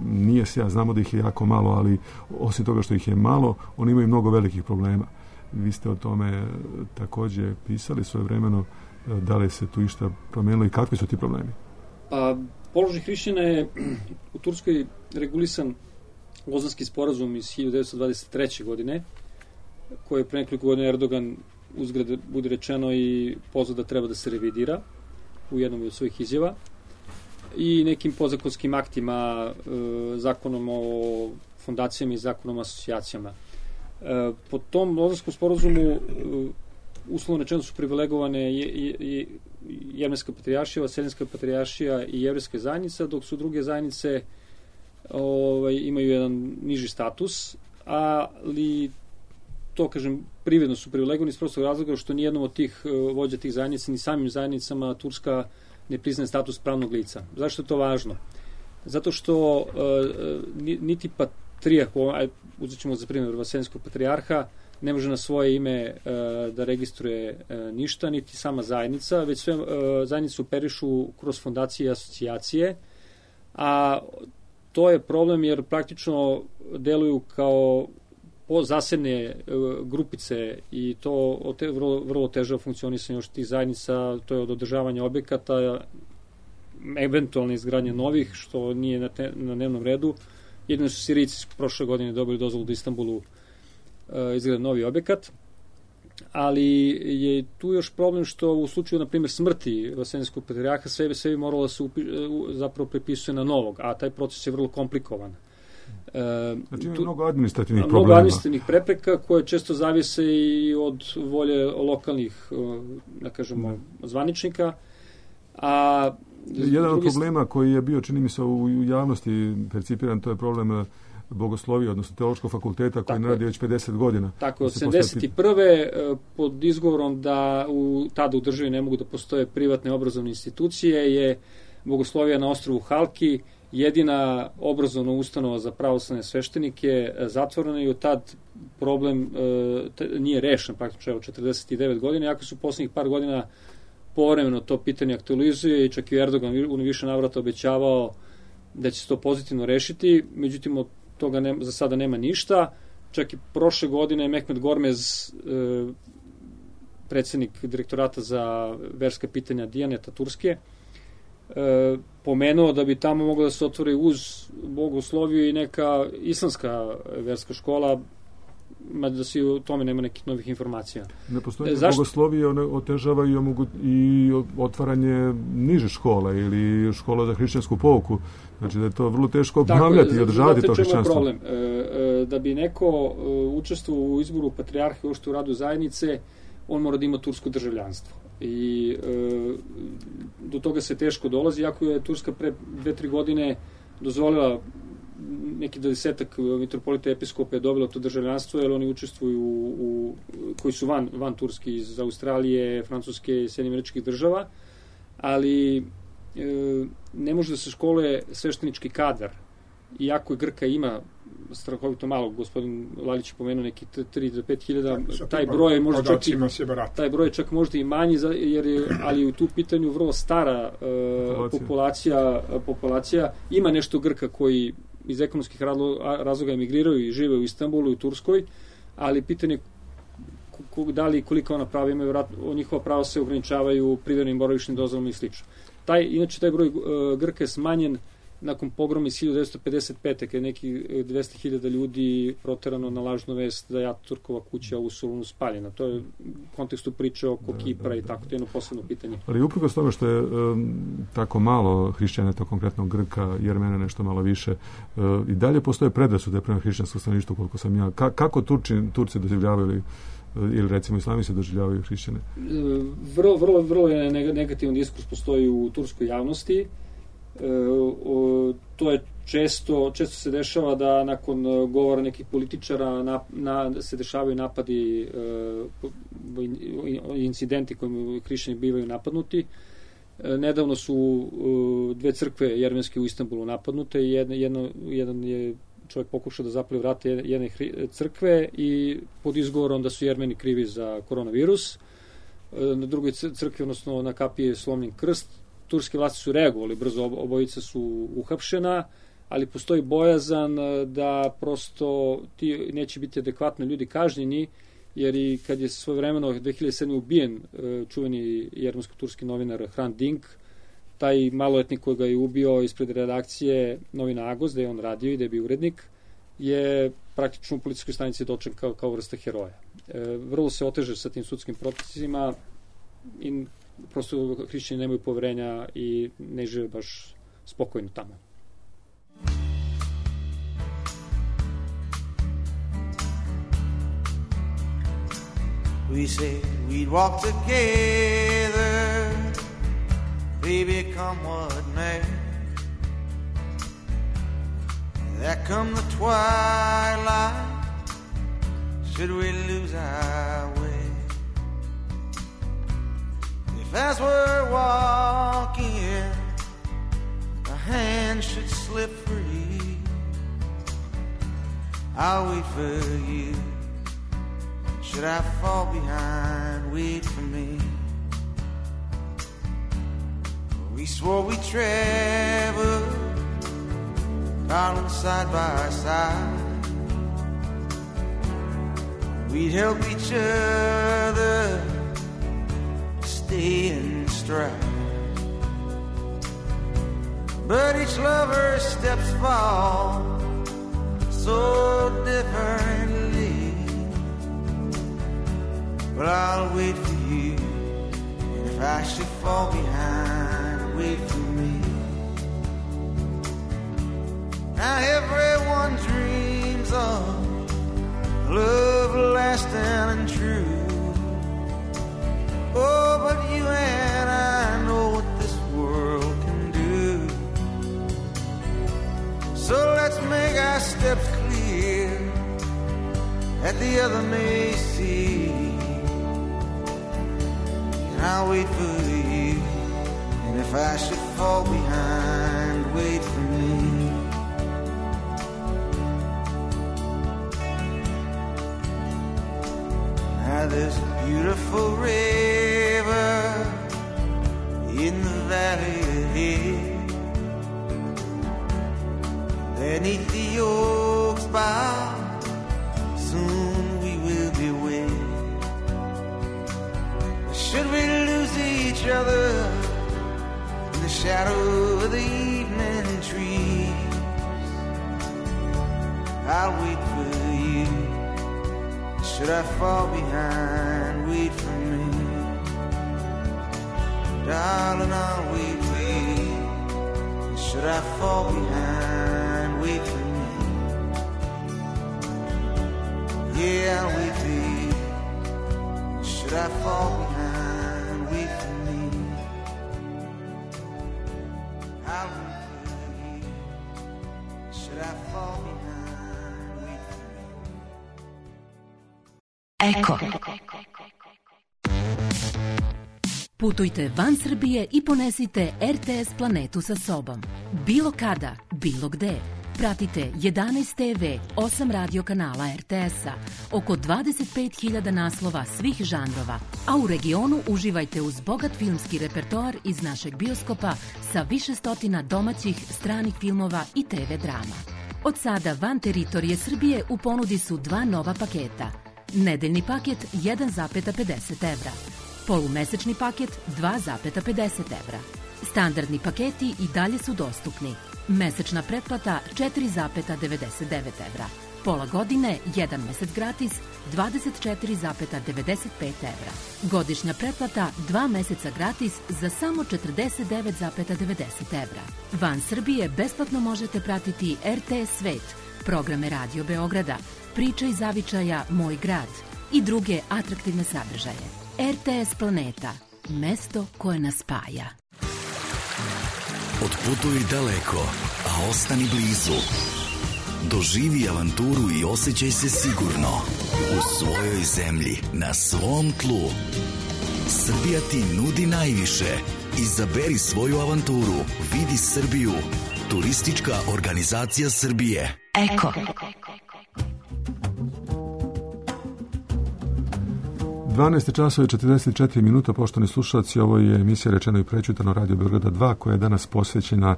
nije sjajan, znamo da ih je jako malo, ali osim toga što ih je malo, oni imaju mnogo velikih problema. Vi ste o tome također pisali svojevremeno. Da li se tu išta promenilo i kakvi su ti problemi? Pa, položaj hrišćana je u Turskoj regulisan Lozanski sporazum iz hiljadu devetsto dvadeset treće. godine, koje je pre nekoliko godina Erdogan, uzgred bude rečeno, i pozvao da treba da se revidira u jednom od svojih izjava, i nekim podzakonskim aktima, e, zakonom o fondacijama i zakonom o asocijacijama. E, po tom Lozanskom sporazumu e, uslovno rečeno su privilegovane Jevreska patrijaršija, Vaseljenska patrijaršija i Jevrejska zajednica, dok su druge zajednice ovaj, imaju jedan niži status, ali to, kažem, privredno su privilegovani iz prostog razloga što nijednom od tih vođa tih zajednica, ni samim zajednicama Turska ne priznaje status pravnog lica. Zašto je to važno? Zato što uh, niti patrijarh, uzet ćemo za primjer Vaseljenskog patrijarha, ne može na svoje ime e, da registruje e, ništa, niti sama zajednica, već sve e, zajednice operišu kroz fondacije i asocijacije, a to je problem jer praktično deluju kao zasedne e, grupice i to te, vrlo, vrlo teže funkcionisanje još tih zajednica, to je od održavanja objekata, eventualne izgradnje novih, što nije na, te, na dnevnom redu. Jedino su Sirijci prošle godine dobili dozvolu da Istanbulu izgleda novi objekat, ali je tu još problem što u slučaju, na primjer, smrti Vaseljenskog patrijarha sve, sve bi moralo da se upi, zapravo prepisuje na novog, a taj proces je vrlo komplikovan. Znači ima mnogo administrativnih mnogo problema. Mnogo administrativnih prepreka koje često zavise i od volje lokalnih, da kažemo, zvaničnika, a jedan od problema koji je bio, čini mi se, u javnosti percipiran, to je problem bogoslovije, odnosno teološkog fakulteta koji ne radi već pedeset godina. Tako, od sedamdeset prve pod izgovorom da u, tada u državi ne mogu da postoje privatne obrazovne institucije je bogoslovija na ostrvu Halki jedina obrazovna ustanova za pravoslavne sveštenike zatvorena i od tad problem e, nije rešen praktično evo četrdeset devet godina, iako su poslednjih par godina povremeno to pitanje aktualizuje i čak i Erdogan u više navrata obećavao da će se to pozitivno rešiti, međutim od toga ne, za sada nema ništa. Čak i prošle godine Mehmet Gormez, e, predsednik direktorata za verska pitanja Dijaneta Turske, e, pomenuo da bi tamo moglo da se otvori uz bogosloviju i neka islamska verska škola, mada se u tome nema nekih novih informacija. Ne postoji Zašto? bogoslovije, one otežava i, omogu, i otvaranje niže škole ili škola za hrišćansku pouku. Znači da je to vrlo teško obnavljati i održavati to hrišćanstvo. Tako je, znate čemu je problem? E, e, da bi neko e, učestvovao u izboru patrijarha i uopšte u radu zajednice, on mora da ima tursko državljanstvo. I e, do toga se teško dolazi, iako je Turska pre dve, tri godine dozvolila neki desetak mitropolita episkopa je dobilo to državljanstvo, jer oni učestvuju u, u koji su van, van Turski, iz Australije, Francuske i Sjedinjenih Američkih Država, ali e, ne može da se školuje sveštenički kadar. Iako je Grka ima strahovito malo, gospodin Lalić je pomenuo neki tri do pet hiljada, taj broj je možda čak i, taj broj je čak možda i manji, jer je, ali u tu pitanju vrlo stara uh, populacija, populacija. Ima nešto Grka koji iz ekonomskih razloga emigriraju i žive u Istanbulu i u Turskoj, ali pitanje da li koliko ona prava imaju, njihova prava se ograničavaju privremenim boravišnim dozvolama i slično. Taj, inače, taj broj uh, Grka je smanjen nakon pogroma iz hiljadu devetsto pedeset pete. kada je nekih dvesta hiljada ljudi proterano na lažnu vest da je Ataturkova kuća u Solunu spaljena. To je u kontekstu priče oko da, Kipra da, da. I tako, to je jedno posebno pitanje. Ali uprkos tome što je um, tako malo hrišćana, to konkretno Grka, Jermena nešto malo više, uh, i dalje postoje predrasude prema hrišćanskom stanovništvu, koliko sam ja. Ka, kako Turci, Turci doživljavaju ili recimo islami se doživljavaju hrišćane? Vrlo, vrlo, vrlo je negativan diskurs postoji u turskoj javnosti. E, o, to je često, često se dešava da nakon govora nekih političara na, na, se dešavaju napadi, e, incidenti kojim hrišćani bivaju napadnuti. E, nedavno su e, dve crkve jermenske u Istanbulu napadnute i jedno, jedno, jedan je čovjek pokušao da zapali vrate jedne crkve i pod izgovorom da su Jermeni krivi za koronavirus. E, na drugoj crkvi, odnosno na kapiji je slomljen krst. Turske vlasti su reagovali brzo, obojica su uhapšena, ali postoji bojazan da prosto ti neće biti adekvatno ljudi kažnjeni, jer i kad je svojevremeno dve hiljade sedme ubijen čuveni jermensko-turski novinar Hrant Dink, taj maloletnik koji ga je ubio ispred redakcije novina Agos, da je on radio i da je bio urednik, je praktično u policijskoj stanici doček kao, kao vrsta heroja. E, vrlo se oteže sa tim sudskim procesima i prosto hrišćani nemaju poverenja i ne žive baš spokojno tamo. We said we'd walk together, baby, come what may. There come the twilight, should we lose our way? If as we're walking, a hand should slip free, I'll wait for you. Should I fall behind, wait for me. We swore we'd travel, darling, side by side. We'd help each other stay in stride. But each lover's steps fall so differently. But I'll wait for you, and if I should fall behind, wait for me. Now everyone dreams of love lasting and true. Oh, but you and I know what this world can do. So let's make our steps clear that the other may see. And I'll wait for you, and if I should fall behind, wait for me. Now there's a beautiful river in the valley ahead. beneath the oaks bough. Soon we will be wed. Should we lose each other in the shadow of the evening trees, I'll wait for you. Should I fall behind, wait for me. Darling, I'll wait for you. Should I fall behind, wait for me. Yeah, I'll wait for you. Should I fall behind, wait for me. I'll wait for you. Should I fall behind, wait for me. Eko. Putujte van Srbije i ponesite R T S planetu sa sobom. Bilo kada, bilo gde. Pratite jedanaest T V, osam radio kanala R T S-a, oko dvadeset pet hiljada naslova svih žanrova, a u regionu uživajte uz bogat filmski repertoar iz našeg bioskopa sa više stotina domaćih, stranih filmova i T V drama. Od sada van teritorije Srbije u ponudi su dva nova paketa. Nedeljni paket jedan zarez pedeset evra. Polumesečni paket dva zarez pedeset evra. Standardni paketi i dalje su dostupni. Mesečna pretplata četiri zarez devedeset devet evra. Pola godine, jedan mesec gratis, dvadeset četiri zarez devedeset pet evra. Godišnja pretplata, dva meseca gratis za samo četrdeset devet zarez devedeset evra. Van Srbije besplatno možete pratiti R T S Svet, programe Radio Beograda, Priče iz zavičaja Moj grad i druge atraktivne sadržaje. R T S Planeta, mesto koje nas spaja. Otputuj daleko, a ostani blizu. Doživi avanturu i osjećaj se sigurno u svojoj zemlji, na svom tlu. Srbija ti nudi najviše. Izaberi svoju avanturu. Vidi Srbiju. Turistička organizacija Srbije. Eko. dvanaest časova i četrdeset četiri minuta, poštovani slušalci, ovo je emisija Rečeno i prećutano Radio Beograda dva, koja je danas posvećena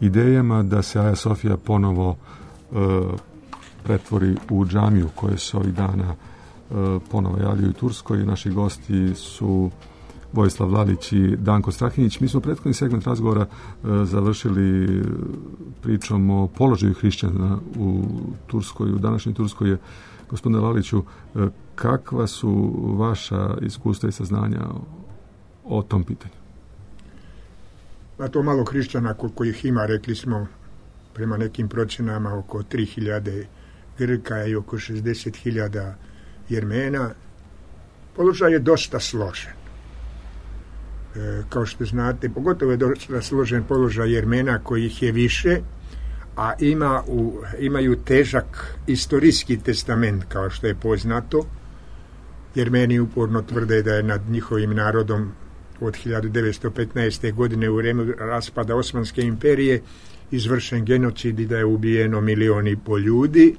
idejama da se Aja Sofija ponovo e, pretvori u džamiju, koje se ovih dana e, ponovo javljaju u Turskoj. Naši gosti su Vojislav Lalić i Danko Strahinjić. Mi smo prethodni segment razgovora e, završili pričom o položaju hrišćana u Turskoj. U današnjoj Turskoj je, gospodine Laliću, e, kakva su vaša iskustva i saznanja o, o tom pitanju? A to malo hrišćana koliko ih ima, rekli smo prema nekim procenama oko tri hiljade Grka i oko šezdeset hiljada Jermena. Položaj je dosta složen. E, kao što znate, pogotovo je dosta složen položaj Jermena, kojih je više, a ima u, imaju težak istorijski testament, kao što je poznato. Jermeni uporno tvrde da je nad njihovim narodom od hiljadu devetsto petnaeste. godine u vreme raspada Osmanske imperije izvršen genocid i da je ubijeno milion i pol ljudi.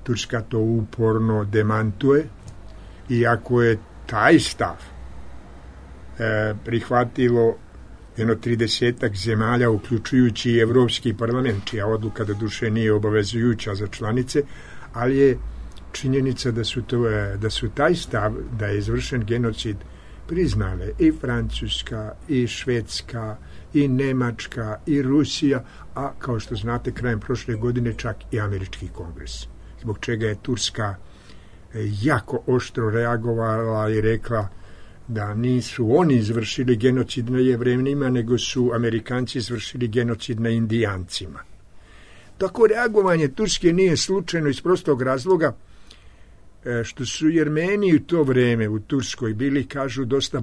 Turska to uporno demantuje, iako je taj stav e, prihvatilo jedno tridesetak zemalja, uključujući i Evropski parlament, čija odluka do duše nije obavezujuća za članice, ali je činjenica da su, to, da su taj stav, da je izvršen genocid, priznale i Francuska, i Švedska, i Nemačka, i Rusija, a kao što znate, krajem prošle godine čak i Američki kongres. Zbog čega je Turska jako oštro reagovala i rekla da nisu oni izvršili genocid na Jevrenima, nego su Amerikanci izvršili genocid na Indijancima. Tako reagovanje Turske nije slučajno iz prostog razloga što su Jermeni u to vreme u Turskoj bili, kažu, dosta e,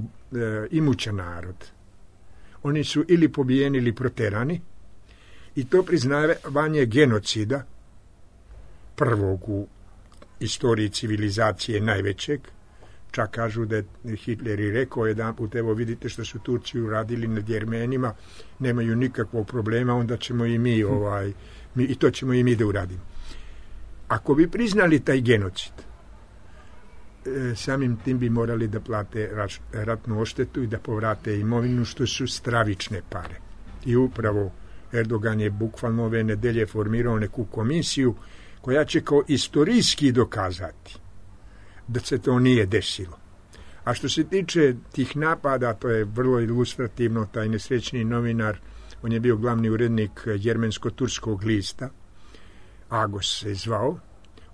imućan narod. Oni su ili pobijeni ili proterani, i to priznavanje genocida, prvog u istoriji civilizacije, najvećeg, čak kažu da je Hitler i rekao jedan put, evo vidite što su Turci uradili nad Jermenima, nemaju nikakvog problema, onda ćemo i mi, ovaj, mi i to ćemo i mi da uradimo. Ako bi priznali taj genocid, samim tim bi morali da plate ratnu odštetu i da povrate imovinu, što su stravične pare. I upravo Erdogan je bukvalno ove nedelje formirao neku komisiju koja će kao istorijski dokazati da se to nije desilo. A što se tiče tih napada, to je vrlo ilustrativno, taj nesrećni novinar, on je bio glavni urednik jermensko-turskog lista, Agos se zvao,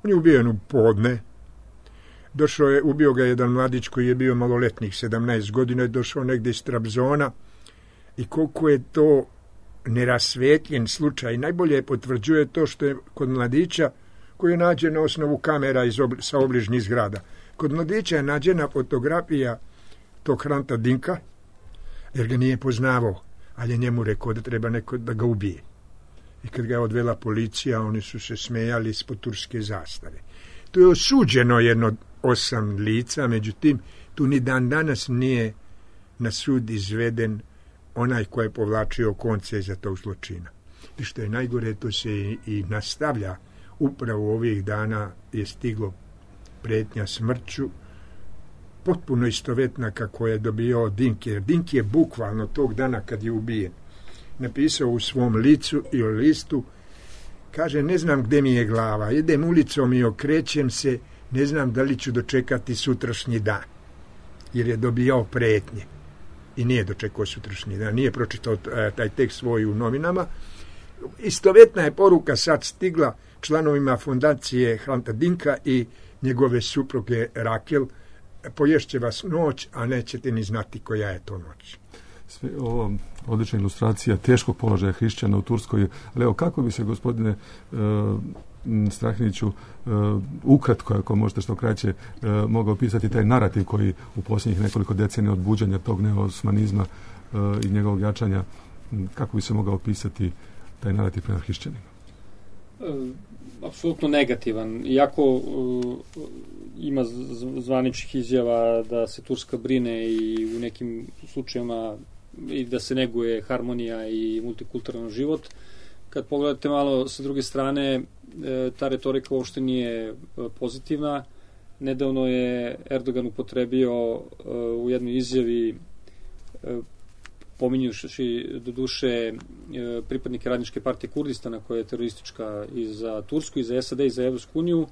on je ubijen u podne, došao je, ubio ga jedan mladić koji je bio maloletnik, sedamnaest godina, je došao negdje iz Trabzona i koliko je to nerasvetljen slučaj, najbolje potvrđuje to što je kod mladića, koji je nađen na osnovu kamera iz obli, sa obližnjih zgrada, kod mladića je nađena fotografija tog Hranta Dinka, jer ga nije poznavao, ali je njemu rekao da treba neko da ga ubije. I kad ga je odvela policija, oni su se smejali ispod turske zastave. To je osuđeno jedno osam lica, međutim, tu ni dan danas nije na sud izveden onaj ko je povlačio konce iza tog zločina. I što je najgore, to se i, i nastavlja. Upravo ovih dana je stiglo pretnja smrću, potpuno istovetna kako je dobio Dinki. Jer Dinki je bukvalno tog dana kad je ubijen napisao u svom licu i o listu, kaže, ne znam gde mi je glava, idem ulicom i okrećem se, ne znam da li ću dočekati sutrašnji dan, jer je dobijao pretnje i nije dočekao sutrašnji dan, nije pročitao taj tekst svoj u novinama. Istovetna je poruka sad stigla članovima fondacije Hranta Dinka i njegove supruge Rakel, poješće vas noć, a nećete ni znati koja je to noć. Sve ovo odlična ilustracija teškog položaja hrišćana u Turskoj, ali evo kako bi se, gospodine uh, Strahiniću, uh, ukratko, ako možete što kraće, uh, mogao opisati taj narativ koji u posljednjih nekoliko decenija od buđanja tog neosmanizma uh, i njegovog jačanja, kako bi se mogao opisati taj narativ prema hrišćanima? Uh, apsolutno negativan. Iako uh, ima zvaničnih izjava da se Turska brine i u nekim slučajevima i da se neguje harmonija i multikulturalan život, kad pogledate malo sa druge strane, ta retorika uopšte nije pozitivna. Nedavno je Erdogan upotrebio u jednoj izjavi, pominjuši do duše pripadnike Radničke partije Kurdistana, koja je teroristička i za Tursku, i za S A D, i za Evropsku uniju,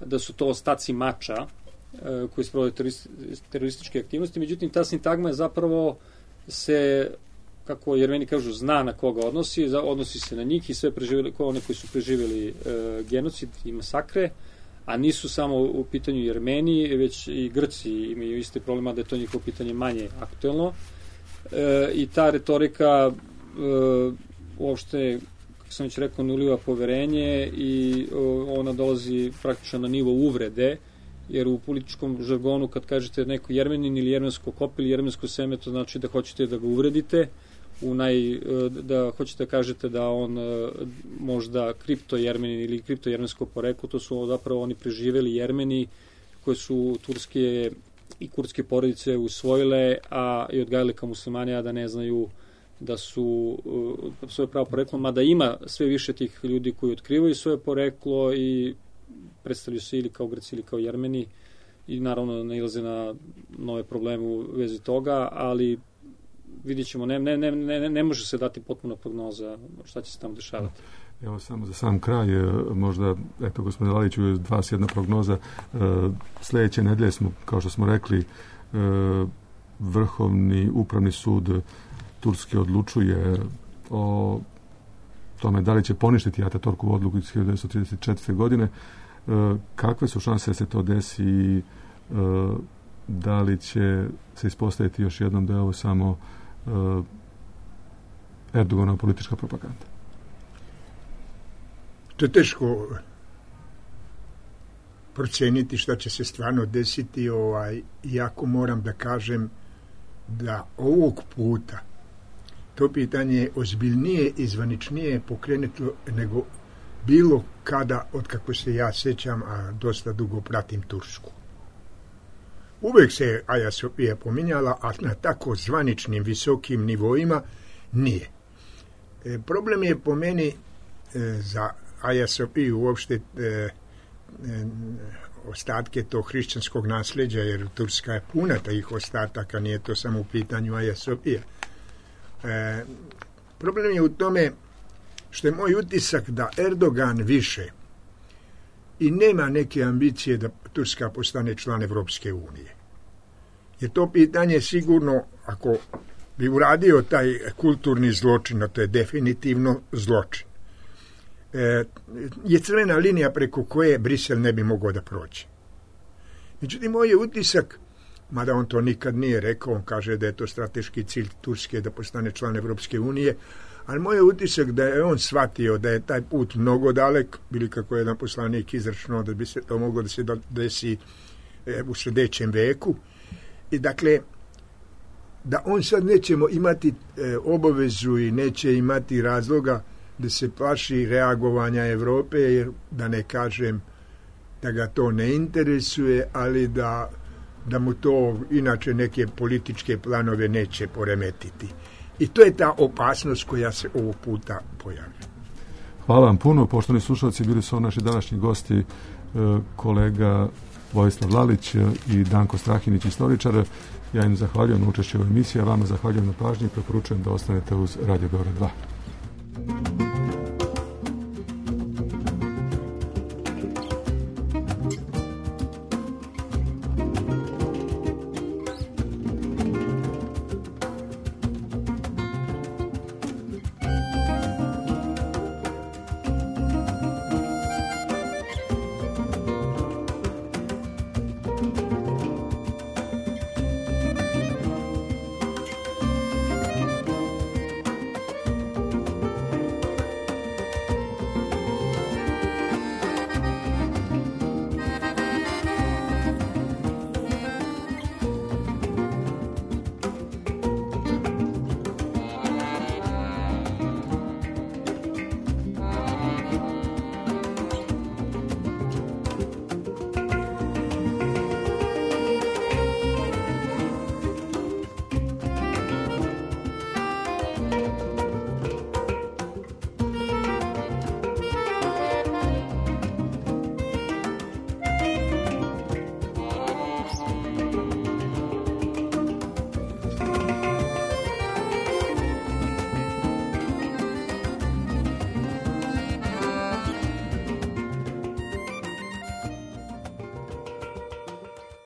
da su to ostaci mača koji sprovode terorističke aktivnosti. Međutim, ta sintagma je zapravo se, kako Jermeni kažu, zna na koga odnosi, odnosi se na njih i sve preživjeli, kao one koji su preživjeli e, genocid i masakre, a nisu samo u pitanju Jermeni, već i Grci imaju iste problema, da je to njihovo pitanje manje aktuelno. E, I ta retorika e, uopšte, kako sam već rekao, ne uliva poverenje i o, ona dolazi praktično na nivo uvrede, jer u političkom žargonu kad kažete neko Jermenin ili jermensko kop ili jermensko seme, to znači da hoćete da ga uvredite, u naj, da hoćete da kažete da on možda kripto Jermenin ili kripto jermensko poreklo, to su zapravo oni preživeli Jermeni koji su turske i kurdske porodice usvojile, a i odgajali kao muslimani, a da ne znaju da su uh, svoje pravo poreklo, mada ima sve više tih ljudi koji otkrivaju svoje poreklo i predstavljaju se ili kao Grci ili kao Jermeni i naravno nailaze na nove probleme u vezi toga, ali vidjet ćemo, ne, ne, ne, ne, ne može se dati potpuna prognoza šta će se tamo dešavati. Evo samo za sam kraj, možda, eto, gospodine Laliću, dva s jedna prognoza. Sljedeće nedelje smo, kao što smo rekli, Vrhovni upravni sud Turske odlučuje o tome da li će poništiti Ataturkovu odluku iz hiljadu devetsto trideset četvrte. godine. Kakve su šanse da se to desi i da li će se ispostaviti još jednom da je ovo samo Erdoganova politička propaganda? To je teško proceniti šta će se stvarno desiti, ovaj, iako moram da kažem da ovog puta to pitanje je ozbiljnije i zvaničnije pokrenuto nego bilo kada, od kako se ja sećam, a dosta dugo pratim Tursku. Uvek se Aja Sofija pominjala, a na tako zvaničnim visokim nivoima nije. E, problem je po meni e, za Aja Sofiju uopšte e, e, ostatke tog hrišćanskog nasljeđa, jer Turska je puna tih ostataka, nije to samo u pitanju Aja Sofija. E, problem je u tome što je moj utisak da Erdogan više i nema neke ambicije da Turska postane član Evropske unije. Jer to pitanje sigurno, ako bi uradio taj kulturni zločin, a to je definitivno zločin, e, je crvena linija preko koje Brisel ne bi mogao da prođe. Međutim, moj je utisak, mada on to nikad nije rekao, on kaže da je to strateški cilj Turske da postane član Evropske unije, ali moj je utisak da je on shvatio da je taj put mnogo dalek, bili kako je jedan poslanik izračunao da bi se to moglo da se desi e, u sljedećem veku. I dakle, da on sad nećemo imati e, obavezu i neće imati razloga da se plaši reagovanja Evrope, jer da ne kažem da ga to ne interesuje, ali da, da mu to inače neke političke planove neće poremetiti. I to je ta opasnost koja se ovog puta pojavlja. Hvala vam puno. Poštovani slušalci, bili su naši današnji gosti e, kolega Vojislav Lalić i Danko Strahinić, istoričar. Ja im zahvaljujem na učešću u emisiji, a vama zahvaljujem na pažnji i preporučujem da ostanete uz Radio Beograd dva.